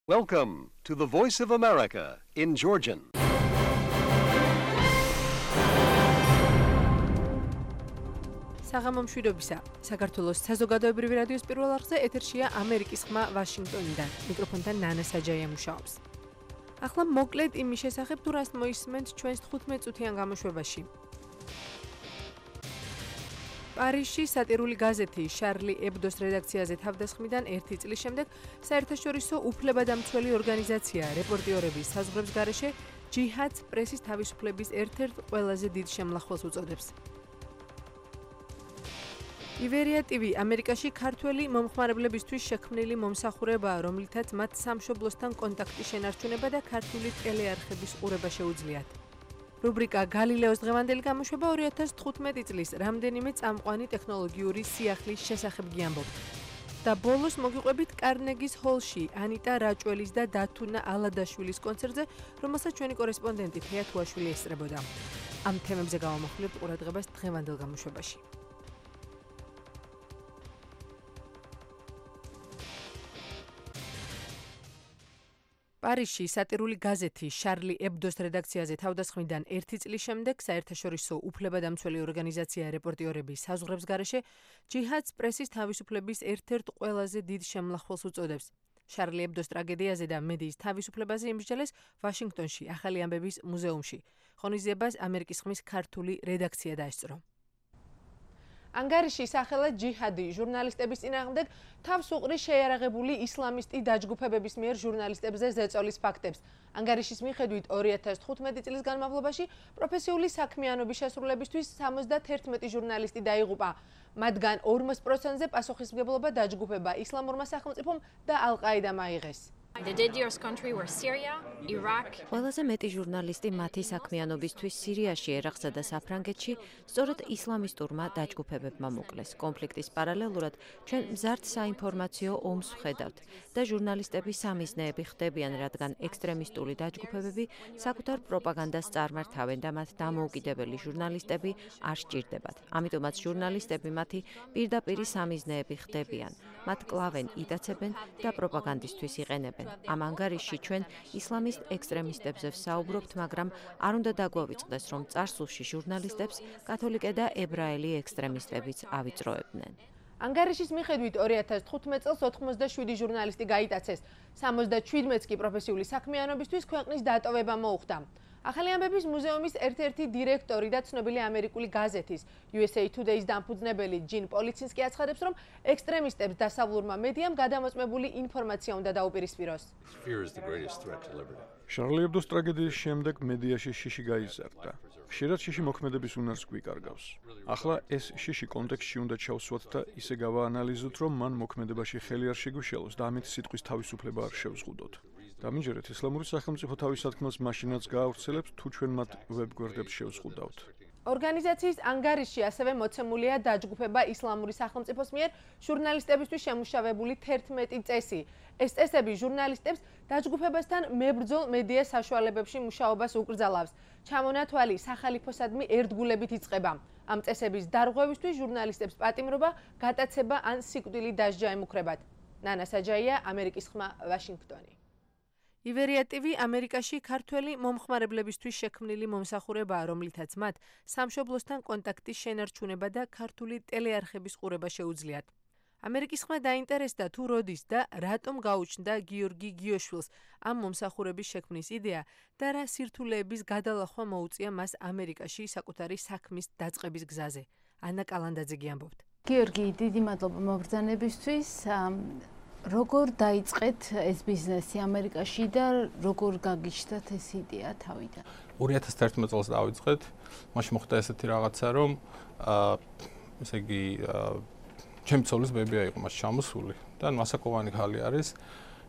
Welcome to the Voice of America in Georgian. საღამომშვიდობისა. საქართველოს საზოგადოებრივი რადიოს პირველ არხზე ეთერშია ამერიკის ხმა ვაშინგტონიდან. მიკროფონთან ნანა საჯაია მუშაობს. ახლა მოკლედ იმის შესახებ თუ რას მოისმენთ ჩვენს 15 წუთიან გამოშვებაში. პარიზში სატირული გაზეთი შარლი ებდოს რედაქციაზე თავდასხმიდან 1 წლის შემდეგ საერთაშორისო უფლებადამცველი ორგანიზაცია რეპორტიორების საზღვრების გარეშე ჯიჰადს პრესის თავისუფლების ერთ-ერთ ყველაზე დიდ შემლახველს უწოდებს. ივერია TV ამერიკაში ქართველი მომხმარებლებისთვის შექმნილი მომსახურებაა, რომლითაც მათ სამშობლოსთან კონტაქტის შენარჩუნება და ქართული ტელეარხების ყურება შეუძლიათ. რუბრიკა გალილეოს დღევანდელი გამოშვება 2015 წლის რამდენიმე წამყვანი ტექნოლოგიური სიახლის შესახებ გიამბობთ. და ბოლოს მოგიყვებით კარნეგის ჰოლში ანიტა რაჭველის და დათუნა ალადაშვილის კონცერტზე, რომელსაც ჩვენი კორესპონდენტი თეა თუაშვილი ესწრებოდა. ამ თემებზე გავამახვილებთ ყურადღებას დღევანდელ გამოშვებაში. პარიზში სატირული გაზეთი შარლი ებდოს რედაქციაზე თავდასხმიდან 1 წლის შემდეგ საერთაშორისო უფლებადამცველი ორგანიზაცია რეპორტიორების საზღვრების გარეშე ჯიჰადს პრესის თავისუფლების ერთ-ერთ ყველაზე დიდ შემლახველს უწოდებს. შარლი ებდოს ტრაგედიაზე და მედიის თავისუფლებაზე იმსჯელეს ვაშინგტონში ახალი ამბების მუზეუმში. ღონისძიებას ამერიკის ხმის ქართული რედაქცია დაესწრო. ანგარიში სახელად ჯიჰადი ჟურნალისტების წინააღმდეგ თავს უყრის შეიარაღებული ისლამისტი დაჯგუფებების მიერ ჟურნალისტებზე ზეწოლის ფაქტებს. ანგარიშის მიხედვით 2015 წლის განმავლობაში პროფესიული საქმიანობის შესრულებისთვის 71 ჟურნალისტი დაიღუპა. მათგან 40%-ზე პასუხისმგებლობა დაჯგუფება ისლამურმა სახელმწიფომ და ალ-ყაიდამ აიღეს. ყველაზე მეტი ჟურნალისტი მათი საქმიანობისთვის სირიაში, ერაყსა და საფრანგეთში სწორედ ისლამისტურმა დაჯგუფებებმა მოკლეს. კონფლიქტის პარალელურად ჩვენ მზარდ საინფორმაციო ომს ვხედავთ და ჟურნალისტები სამიზნეები ხდებიან, რადგან ექსტრემისტული დაჯგუფებები საკუთარ პროპაგანდას წარმართავენ და მათ დამოუკიდებელი ჟურნალისტები არ სჭირდებათ. ამიტომაც ჟურნალისტები მათი პირდაპირი სამიზნეები ხდებიან. მათ კლავენ, იტაცებენ და პროპაგანდისთვის იყენებენ. ამ ანგარიშში ჩვენ ისლამისტ ექსტრემისტებზე ვსაუბრობთ, მაგრამ არ უნდა დაგვავიწყდეს, რომ წარსულში ჟურნალისტებს კათოლიკე და ებრაელი ექსტრემისტებიც ავიწროებდნენ. ანგარიშის მიხედვით 2015 წელს 87 ჟურნალისტი გაიტაცეს, 77-ს კი პროფესიული საქმიანობისთვის ქვეყნის დატოვება მოუხდა. ახალი ამბების მუზეუმის ერთ-ერთი დირექტორი და ცნობილი ამერიკული გაზეთის USA Today-ის დამფუძნებელი ჯინ პოლიცინსკი აცხადებს, რომ ექსტრემისტებს დასავლურმა მედიამ გადამოწმებული ინფორმაცია უნდა დაუპირისპიროს. შარლი ებდოს ტრაგედიის შემდეგ მედიაში შიში გაიზარდა. ხშირად შიში მოქმედების უნარს გვიკარგავს. ახლა ეს შიში კონტექსტში უნდა ჩავსვათ და ისე გავაანალიზოთ, რომ მან მოქმედებაში ხელი არ შეგვიშალოს და ამით სიტყვის თავისუფლება არ შევზღუდოთ. დამიჯერეთ, ისლამური სახელმწიფო თავის სათქმელს მაშინაც გაავრცელებს, თუ ჩვენ მათ ვებ-გვერდებს შევზღუდავთ. ორგანიზაციის ანგარიში ასევე მოცემულია დაჯგუფება ისლამური სახელმწიფოს მიერ ჟურნალისტებისთვის შემუშავებული 11 წესი. ეს წესები ჟურნალისტებს დაჯგუფებასთან მებრძოლ მედია საშუალებებში მუშაობას უკრძალავს. ჩამონათვალი სახალიფოსადმი ერთგულებით იწყება. ამ წესების დარღვევისთვის ჟურნალისტებს პატიმრობა, გატაცება ან სიკვდილი დასჯა ემუქრებათ. ნანა საჯაია, ამერიკის ხმა, ვაშინგტონი. ივერია TV ამერიკაში ქართველი მომხმარებლებისთვის შექმნილი მომსახურებაა, რომლითაც მათ სამშობლოსთან კონტაქტის შენარჩუნება და ქართული ტელეარხების ყურება შეუძლიათ. ამერიკის ხმა დაინტერესდა თუ როდის და რატომ გაუჩნდა გიორგი გიოშვილს ამ მომსახურების შექმნის იდეა და რა სირთულეების გადალახვა მოუწია მას ამერიკაში საკუთარი საქმის დაწყების გზაზე. ანა კალანდაძე გიამბობთ. გიორგი, დიდი მადლობა მობრძანებისთვის. როგორ დაიწყეთ ეს ბიზნესი ამერიკაში და როგორ გაგიჩნდათ ეს იდეა თავიდან? 2011 წელს დავიწყეთ. მაშინ მოხდა ესეთი რაღაცა, რომ ესე იგი ჩემი ცოლის ბებია იყო მას ჩამოსული და მასაკოვანი ხალი არის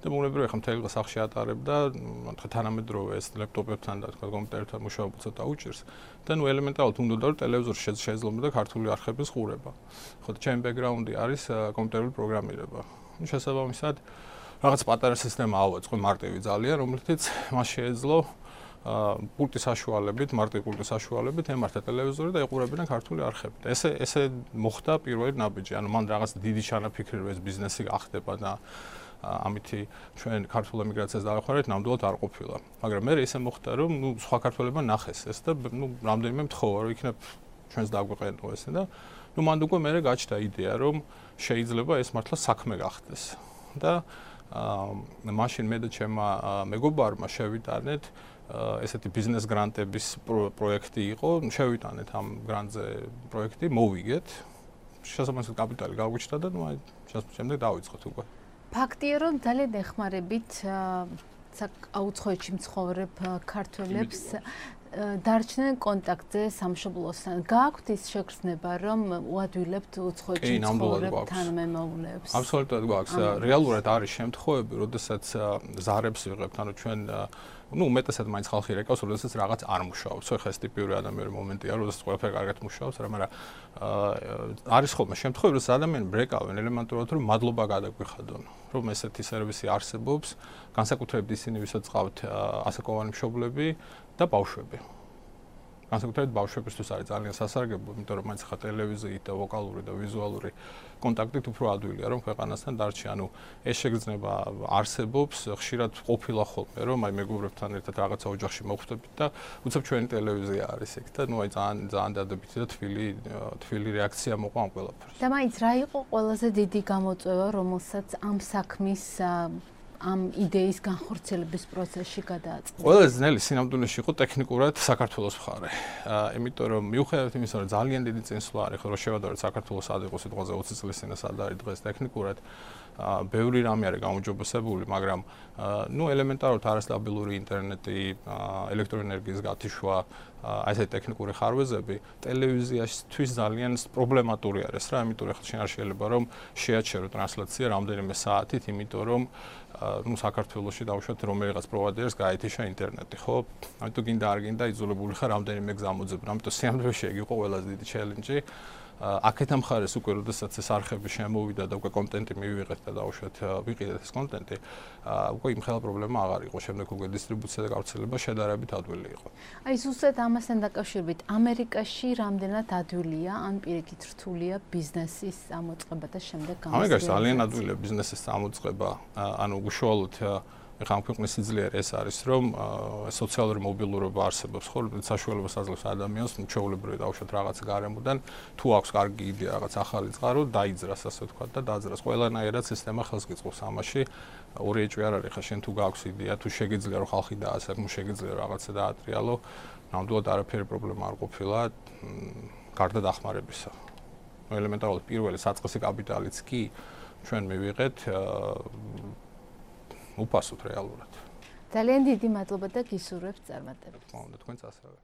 და მოგნებრივი ხა მთელი დღე სახლში ატარებ და თქვა თანამედროვე ეს ლეპტოპებთან და თქვა კომპიუტერთან მუშაობა ცოტა უჭირს და ნუ ელემენტარულად უნდა რომ ტელევიზორში შეძლო ქართული არხების ყურება. ხო და ჩემი ბექგრაუნდი არის კომპიუტერული პროგრამირება. შესაბამისად რაღაც პატარა სისტემა ავაწყო მარტივი ძალიან, რომლითაც მას შეეძლო პულტის საშუალებით, მარტივი პულტის საშუალებით ემართა ტელევიზორი და ეყურებინა ქართული არხები. და ესე მოხდა პირველი ნაბიჯი. ანუ მან რაღაც დიდი ჩანაფიქრი რომ ეს ბიზნესი გახდება და ამითი ჩვენ ქართულ ემიგრაციას დავეხმარეთ, ნამდვილად არ ყოფილა. მაგრამ მე ისე მოხდა, რომ სხვა ქართველებმა ნახეს ეს და რამდენიმე მთხოვა, რომ იქნებ ჩვენს დაგვეყენო ესე და მანდ უკვე მე გაჩნდა იდეა, რომ შეიძლება ეს მართლა საქმე გახდეს. და მაშინ მე და ჩემმა მეგობარმა შევიტანეთ ესეთი ბიზნეს გრანტების პროექტი იყო, შევიტანეთ ამ გრანტზე პროექტი, მოვიგეთ. შესაბამისად კაპიტალი გავგვიჩნდა და აი შემდეგ დავიწყოთ უკვე. ფაქტია, რომ ძალიან ეხმარებით აუცხოვეთში მცხოვრებ ქართველებს დარჩნენ კონტაქტზე სამშობლოსთან. გააქვთ ის შეგრძნება, რომ უადვილებთ უცხოეთში მცხოვრებ თანამემამულეებს? აბსოლუტურად გვაქვს. რეალურად არის შემთხვევები, როდესაც ზარებს ვიღებთ, ანუ ჩვენ უმეტესად მაინც ხალხი რეკავს, როდესაც რაღაც არ მუშაობს. ხო, ეს ტიპიური ადამიანური მომენტია, როდესაც ყველაფერი კარგად მუშაობს, მაგრამ არის ხოლმე შემთხვევები, რომ ადამიანები ბრეკავენ ელემენტურად, რომ მადლობა გადაგვიხადონ, რომ ესეთი სერვისი არსებობს, განსაკუთრებით ისინი, ვისაც ყავთ ასაკოვანი მშობლები და ბავშვები. განსაკუთრებით ბავშვებისთვის არის ძალიან სასარგებლო, იმიტომ რომ მაინც ხა ტელევიზიით და ვოკალური და ვიზუალური კონტაქტით უფრო ადვილია, რომ ქვეყანასთან დარჩი. ანუ ეს შეგრძნება არსებობს, ხშირად ყოფილა ხოლმე, რომ აი მეგობრებთან ერთად რაღაცა ოჯახში მოხვდებით და უცებ ჩვენი ტელევიზია არის ეგ და ნუ აი ძალიან დადებითი და თბილი რეაქცია მოყვა ამ ყველაფერს. და მაინც რა იყო ყველაზე დიდი გამოწვევა, რომელსაც ამ საქმის ამ იდეის განხორციელების პროცესში გადააწყდა? ყველაზე ძნელი სინამდვილეში იყო ტექნიკურად საქართველოს მხარე. იმიტომ რომ მიუხედავად იმისა, რომ ძალიან დიდი წინსვლა არის, რომ შევადაროთ საქართველოს სად იყო სიტყვაზე 20 წლის წინ სად არის დღეს ტექნიკურად, ბევრი რამე არის გამოჯობესებული, მაგრამ ელემენტარულად არასტაბილური ინტერნეტი, ელექტროენერგიის გათიშვა, აი ესეთი ტექნიკური ხარვეზები ტელევიზიაშთვის ძალიან პრობლემატური არის რა, იმიტომ რომ ხალხი არ შეიძლება რომ შეაჩერო ტრანსლაცია რამდენიმე საათით, იმიტომ რომ საქართველოში დავუშვათ რომელიღაც პროვაიდერს გაეთიშა ინტერნეტი, ხო? ამიტომ გინდა არ გინდა იძულებული ხარ რამდენიმე გზა მოძებნა, ამიტომ სიამოვნებაში ეგ იყო ყველაზე დიდი ჩელენჯი. აქეთა მხარეს უკვე როდესაც ეს არხები შემოვიდა და უკვე კონტენტი მივიღეთ და დავუშვათ ვიყიდეთ ეს კონტენტი, უკვე იმ ხელა პრობლემა აღარ იყო, შემდეგ უკვე დისტრიბუცია და გავრცელება შედარებით ადვილი იყო. აი ზუსტად ამასთან დაკავშირებით, ამერიკაში რამდენად ადვილია, ან პირიქით რთულია ბიზნესის წამოწყება და შემდეგ გამოსვლელი? ამერიკაში ძალიან ადვილია ბიზნესის წამოწყება, ანუ უშუალოდ ეხლა ამ ქვეყნის სიძლიერე ეს არის, რომ სოციალური მობილურობა არსებობს, ხო, საშუალებას აძლევს ადამიანს, ჩვეულებრივი დავუშვათ რაღაც გარემოდან, თუ აქვს კარგი იდეა, რაღაც ახალი წყარო, დაიძრას, ასე ვთქვათ და დაძრას. ყველანაირად სისტემა ხელს გიწყობს ამაში. ორი ეჭვი არ არის, ხა შენ თუ გაქვს იდეა, თუ შეგიძლია რომ ხალხი დაასაკმო, შეგიძლია რაღაცა დაატრიალო, ნამდვილად არაფერი პრობლემა არ ყოფილა, გარდა დახმარებისა. ელემენტარულად პირველი საწყისი კაპიტალიც კი ჩვენ მივიღეთ უფასოდ რეალურად. ძალიან დიდი მადლობა და გისურვებთ წარმატებას. მოგონდა თქვენც ასევე.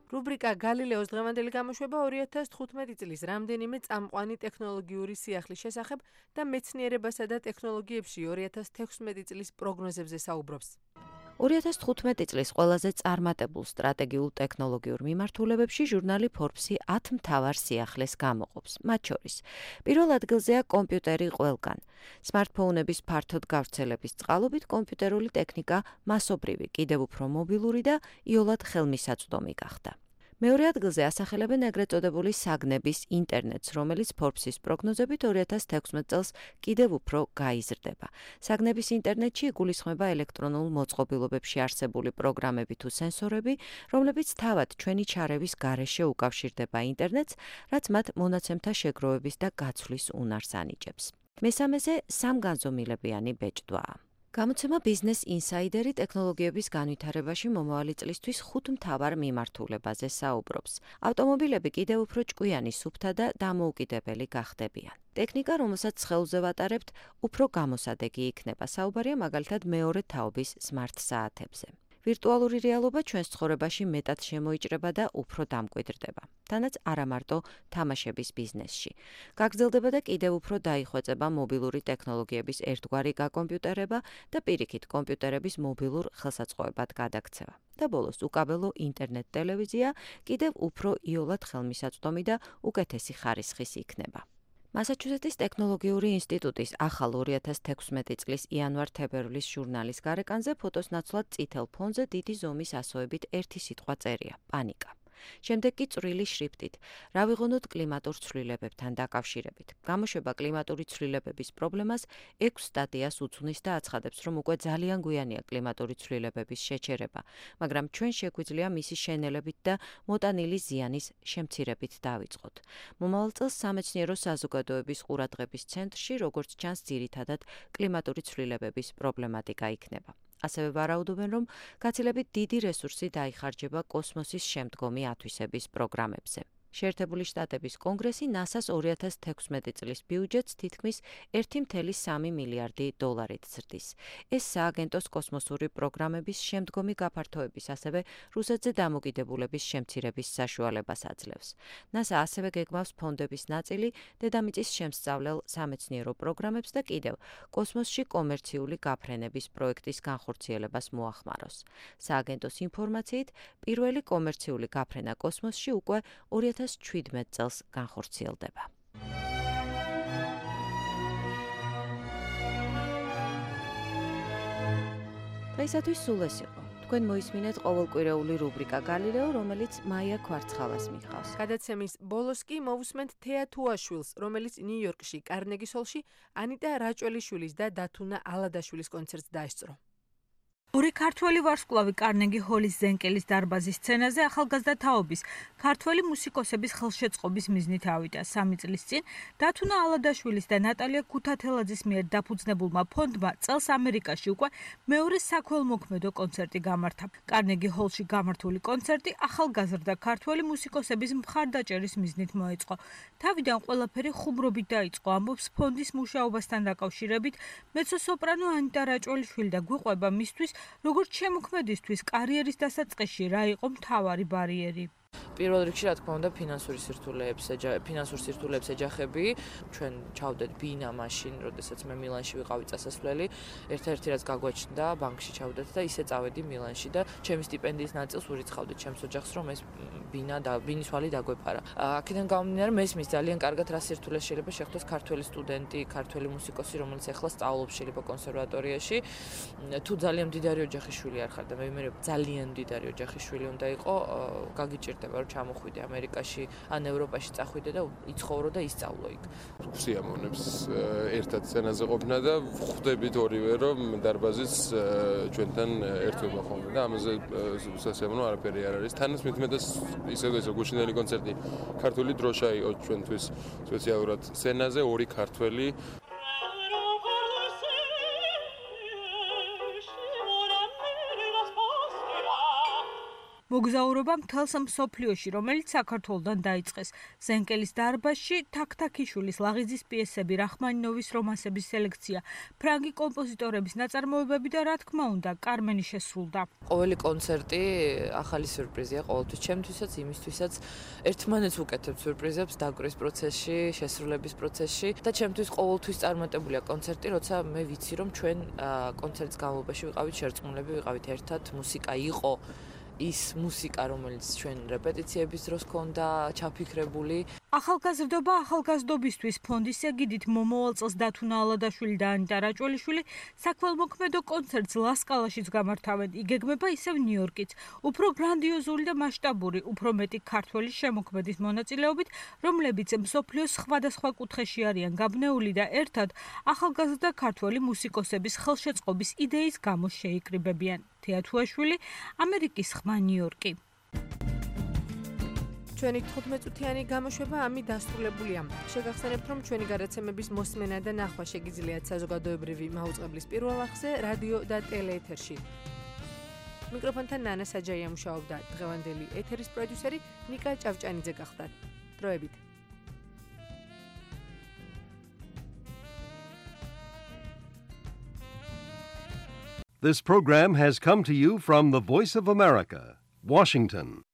რუბრიკა გალილეოს დღევანდელი გამოშვება 2015 წლის რამდენიმე წამყვანი ტექნოლოგიური სიახლის შესახებ და მეცნიერებასა და ტექნოლოგიებში 2016 წლის პროგნოზებზე საუბრობს. 2015 წლის ყველაზე წარმატებულ სტრატეგიულ ტექნოლოგიურ მიმართულებებში ჟურნალი Forbes-ი 10 მთავარ სიახლეს გამოყოფს. მათ შორის პირველ ადგილზეა კომპიუტერი ყველგან. სმარტფონების ფართოდ გავრცელების წყალობით კომპიუტერული ტექნიკა მასობრივი, კიდევ უფრო მობილური და იოლად ხელმისაწვდომი გახდა. მეორე ადგილზე ასახელებენ ეგრეთ წოდებული საგნების ინტერნეტს, რომელიც Forbes-ის პროგნოზებით 2016 წელს კიდევ უფრო გაიზრდება. საგნების ინტერნეტში იგულისხმება ელექტრონულ მოწყობილობებში არსებული პროგრამები თუ სენსორები, რომლებიც თავად ჩვენი ჩარევის გარეშე უკავშირდება ინტერნეტს, რაც მათ მონაცემთა შეგროვების და გაცვლის უნარს ანიჭებს. მესამეზე სამგანზომილებიანი ბეჭდვაა. გამოცემა Business Insider-ი ტექნოლოგიების განვითარებაში მომავალი წლისთვის 5 მთავარ მიმართულებაზე საუბრობს. ავტომობილები კიდევ უფრო ჭკვიანი, სუფთა და დამოუკიდებელი გახდებიან. ტექნიკა, რომელსაც ხელზე ვატარებთ, უფრო გამოსადეგი იქნება. საუბარია მაგალითად მეორე თაობის smart საათებზე. ვირტუალური რეალობა ჩვენს ცხოვრებაში მეტად შემოიჭრება და უფრო დამკვიდრდება. თანაც არა მარტო თამაშების ბიზნესში. გაგრძელდება და კიდევ უფრო დაიხვეწება მობილური ტექნოლოგიების ერთგვარი გაკომპიუტერება და პირიქით კომპიუტერების მობილურ ხელსაწყოებად გადაქცევა. და ბოლოს უკაბელო ინტერნეტ ტელევიზია კიდევ უფრო იოლად ხელმისაწვდომი და უკეთესი ხარისხის იქნება. მასაჩუსეტის ტექნოლოგიური ინსტიტუტის ახალ 2016 წლის იანვარ-თებერვლის ჟურნალის გარეკანზე ფოტოს ნაცვლად წითელ ფონზე დიდი ზომის ასოებით ერთი სიტყვა წერია: პანიკა. შემდეგ კი წვრილი შრიფტით. რა ვიღონოთ კლიმატურ ცვლილებებთან დაკავშირებით. გამოშვება კლიმატური ცვლილებების პრობლემას 6 სტატიას უძღვნის და აცხადებს, რომ უკვე ძალიან გვიანია კლიმატური ცვლილებების შეჩერება, მაგრამ ჩვენ შეგვიძლია მისი შენელებით და მოტანილი ზიანის შემცირებით დავიწყოთ. მომავალ წელს სამეცნიერო საზოგადოების ყურადღების ცენტრში, როგორც ჩანს, ძირითადად კლიმატური ცვლილებების პრობლემატიკა იქნება. ასევე ვარაუდობენ, რომ გაცილებით დიდი რესურსი დაიხარჯება კოსმოსის შემდგომი ათვისების პროგრამებზე. შეერთებული შტატების კონგრესი NASA-ს 2016 წლის ბიუჯეტს თითქმის 1,3 მილიარდი დოლარით ზრდის. ეს სააგენტოს კოსმოსური პროგრამების შემდგომი გაფართოების, ასევე რუსეთზე დამოკიდებულების შემცირების საშუალებას აძლევს. NASA ასევე გეგმავს ფონდების ნაწილი დედამიწის შემსწავლელ სამეცნიერო პროგრამებს და კიდევ კოსმოსში კომერციული გაფრენების პროექტის განხორციელებას მოახმაროს. სააგენტოს ინფორმაციით, პირველი კომერციული გაფრენა კოსმოსში უკვე 2017 წელს განხორციელდება. დღეისათვის სულ ეს იყო. თქვენ მოისმინეთ ყოველკვირეული რუბრიკა გალილეო, რომელიც მაია ქვარცხალას მიჰყავს. გადაცემის ბოლოს კი მოვუსმენთ თეა თუაშვილს, რომელიც ნიუ-იორკში კარნეგის ჰოლში ანიტა რაჭველიშვილის და დათუნა ალადაშვილის კონცერტს დაესწრო. ორი ქართველი ვარსკვლავი კარნეგი ჰოლის ზენკელის დარბაზის სცენაზე ახალგაზრდა თაობის ქართველი მუსიკოსების ხელშეწყობის მიზნით ავიდა. 3 წლის წინ დათუნა ალადაშვილის და ნატალია ქუთათელაძის მიერ დაფუძნებულმა ფონდმა წელს ამერიკაში უკვე მეორე საქველმოქმედო კონცერტი გამართა. კარნეგი ჰოლში გამართული კონცერტი ახალგაზრდა ქართველი მუსიკოსების მხარდაჭერის მიზნით მოეწყო. თავიდან ყველაფერი ხუმრობით დაიწყო, ამბობს ფონდის მუშაობასთან დაკავშირებით მეცო-სოპრანო ანიტა რაჭველიშვილი და გვიყვება მისთვის როგორც შემოქმედისთვის კარიერის დასაწყისში რა იყო მთავარი ბარიერი. პირველ რიგში რა თქმა უნდა ფინანსურ სირთულეებს ეჯახები. ჩვენ ჩავდეთ ბინა მაშინ, როდესაც მე მილანში ვიყავი წასასვლელი, ერთ-ერთი რაც გაგვაჩნდა, ბანკში ჩავდეთ და ისე წავედი მილანში და ჩემი სტიპენდიის ნაწილს ურიცხავდით ჩემს ოჯახს, რომ ეს ბინის ვალი დაგვეფარა. აქედან გამომდინარე, მესმის ძალიან კარგად რა სირთულეს შეიძლება შეხვდეს ქართველი სტუდენტი, ქართველი მუსიკოსი, რომელიც ახლა სწავლობს შეიძლება კონსერვატორიაში. თუ ძალიან მდიდარი ოჯახის შვილი არ ხარ და მე ვიმეორებ ძალიან მდიდარი ოჯახის შვილი უნდა იყო, გაგიჭირდება რომ ჩამოხვიდე ამერიკაში ან ევროპაში წახვიდე და იცხოვრო და ისწავლო იქ. სიამოვნებს ერთად სცენაზე ყოფნა და ხვდებით ორივე რომ დარბაზის ჩვენთან ერთვება ხოლმე და ამაზე სასიამოვნო არაფერი არ არის. თანაც მithumetas ისევე გუშინდელი კონცერტი ქართული დროშა იყო ჩვენთვის სპეციალურად სცენაზე ორი ქართველი მოგზაურობა მთელს მსოფლიოში, რომელიც საქართველოდან დაიწყეს. ზენკელის დარბაზში თაქთაქიშვილის ლაღიძის პიესები, რახმანინოვის რომანსების სელექცია, ფრანგი კომპოზიტორების ნაწარმოებები და რა თქმა უნდა, კარმენი შესრულდა. ყოველი კონცერტი ახალი სიურპრიზია ყოველთვის ჩემთვისაც, იმისთვისაც ერთმანეთს ვუკეთებთ სიურპრიზებს დაკვრის პროცესში, შესრულების პროცესში და ჩემთვის ყოველთვის წარმატებულია კონცერტი, როცა მე ვიცი რომ ჩვენ კონცერტის განმავლობაში ვიყავით შერწყმულები, ვიყავით ერთად, მუსიკა იყო ის მუსიკა, რომელიც ჩვენ რეპეტიციების დროს ჰქონდა ჩაფიქრებული. ახალგაზრდობა ახალგაზრდობისთვის ფონდის ეგიდით მომავალ წელს დათუნა ალადაშვილი და ანიტა რაჭველიშვილი საქველმოქმედო კონცერტს ლასკალაშიც გამართავენ. იგეგმება ისევ ნიუ-იორკიც. უფრო გრანდიოზული და მასშტაბური, უფრო მეტი ქართველი შემოქმედის მონაწილეობით, რომლებიც მსოფლიოს სხვადასხვა კუთხეში არიან გაბნეული და ერთად ახალგაზრდა ქართველი მუსიკოსების ხელშეწყობის იდეის გამო შეიკრიბებიან. თეა თუაშვილი, ამერიკის ხმა ნიუ-იორკი. ჩვენი 15 წუთიანი გამოშვება ამით დასრულებულია. შეგახსენებთ, რომ ჩვენი გადაცემების მოსმენა და ნახვა შეგიძლიათ საზოგადოებრივი მაუწყებლის პირველ არხზე, რადიო და ტელეეთერში. მიკროფონთან ნანა საჯაია მუშაობდა. დღევანდელი ეთერის პროდიუსერი ნიკა ჭავჭანიძე გახლდათ. დროებით. This program has come to you from the Voice of America, Washington.